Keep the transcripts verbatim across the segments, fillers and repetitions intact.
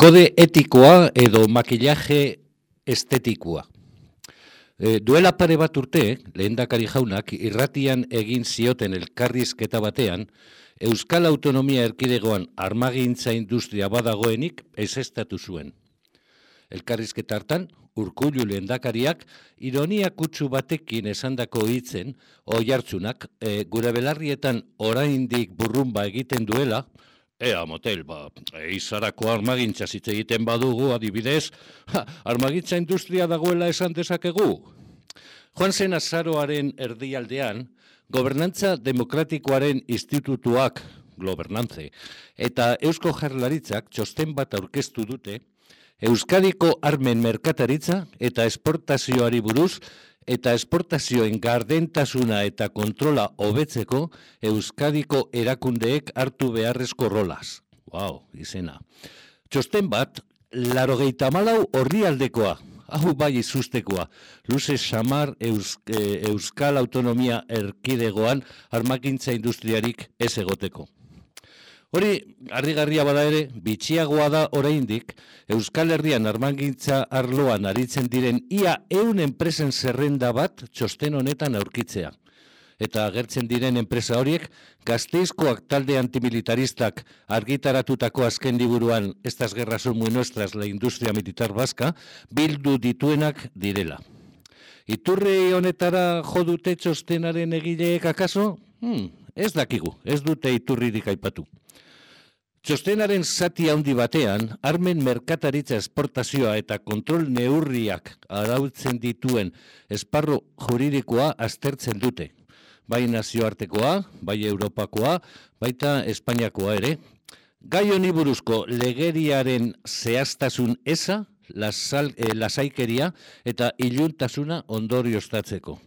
Kode etikoa edo makillaje estetikoa. E, duela pare bat urte, lehendakari jaunak irratian egin zioten elkarrizketa batean, Euskal Autonomia Erkidegoan armagintza industria badagoenik ezeztatu zuen. Elkarrizketa hartan, Urkullu lehendakariak ironia kutsu batekin esandako hitzen oihartzunak e, gure belarrietan oraindik burrumba egiten duela, ea motel, ba, eizarako armagintza hitz egiten badugu, adibidez, ha, armagintza industria dagoela esan dezakegu. Joan zen azaroaren erdialdean, Gobernantza Demokratikoaren Institutuak, Gobernantze, eta Eusko Jaurlaritzak txosten bat aurkeztu dute, Euskadiko armen merkataritza eta esportazioari buruz eta esportazioen gardentasuna eta kontrola hobetzeko Euskadiko erakundeek hartu beharrezko rolaz. Wow, izena. Txosten bat, laurogeita hamalau orrialdekoa, hau bai izustekoa, luze samar Eus, e, Euskal Autonomia Erkidegoan armakintza industriarik ez egoteko. Hori, harrigarria bada ere, bitxiagoa da oraindik, Euskal Herrian armagintza arloan aritzen diren ia ehun enpresen zerrenda bat txosten honetan aurkitzea. Eta agertzen diren enpresa horiek, Gasteizkoak talde antimilitaristak argitaratutako azken liburuan Estas guerras son muy nuestras, la industria militar vasca, bildu dituenak direla. Iturri honetara jo dute txostenaren egileek akaso? Hmm, ez dakigu, ez dute iturririk aipatu. Txostenaren zati handi batean, armen merkataritza esportazioa eta kontrol neurriak arautzen dituen esparru juridikoa aztertzen dute. Bai nazioartekoa, bai Europakoa, baita Espainiakoa ere. Gai honi buruzko legeriaren zehaztasun eza, lasal, eh, lasaikeria eta iluntasuna ondorioztatzeko.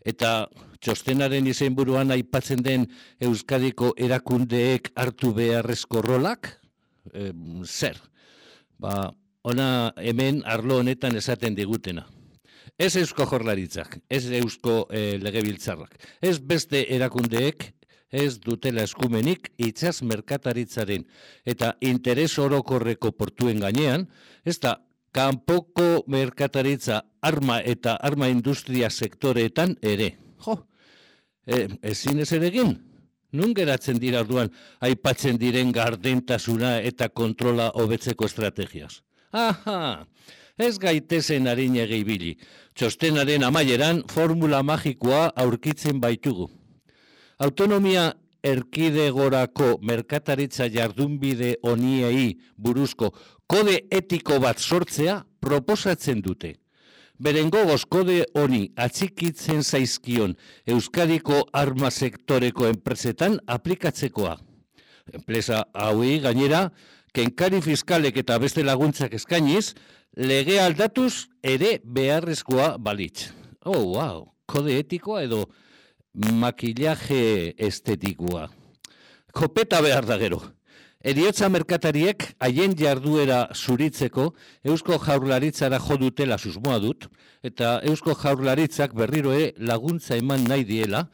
Eta txostenaren izenburuan aipatzen den Euskadiko erakundeek hartu beharrezko rolak, e, zer? Ba, ona hemen arlo honetan esaten digutena. Ez Eusko Jaurlaritzak, ez Eusko e, Legebiltzarrak, ez beste erakundeek ez dutela eskumenik itsas merkataritzaren eta interes orokorreko portuen gainean, ez da kanpoko merkataritza arma eta arma industria sektoreetan ere. Jo, e, ezin ez ere egin? Nun geratzen dira orduan aipatzen diren gardentasuna eta kontrola hobetzeko estrategiaz? Aha, ez gaitezen arinege ibili. Txostenaren amaieran formula magikoa aurkitzen baitugu. Autonomia erkidegorako merkataritza jardunbide honiei buruzko kode etiko bat sortzea proposatzen dute. Beren gogoz kode honi atxikitzen zaizkion Euskadiko arma sektoreko enpresetan aplikatzekoa. Enpresa hauei gainera, kenkari fiskalek eta beste laguntzak eskainiz, lege aldatuz ere beharrezkoa balitz. Oh, wow, kode etikoa edo makillaje estetikoa. Kopeta behar da gero. Heriotza merkatariek haien jarduera zuritzeko Eusko Jaurlaritzara jo dutela susmoa dut, eta Eusko Jaurlaritzak berriro ere laguntza eman nahi diela,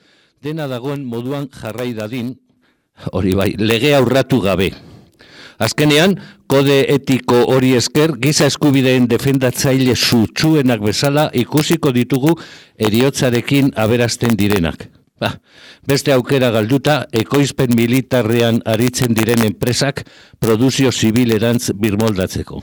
dena dagoen moduan jarrai dadin, hori bai, lege aurratu gabe. Azkenean, kode etiko hori esker, giza eskubideen defendatzaile sutsuenak bezala ikusiko ditugu heriotzarekin aberazten direnak. Ba, beste aukera galduta, ekoizpen militarrean aritzen diren enpresak produzio zibilerantz birmoldatzeko.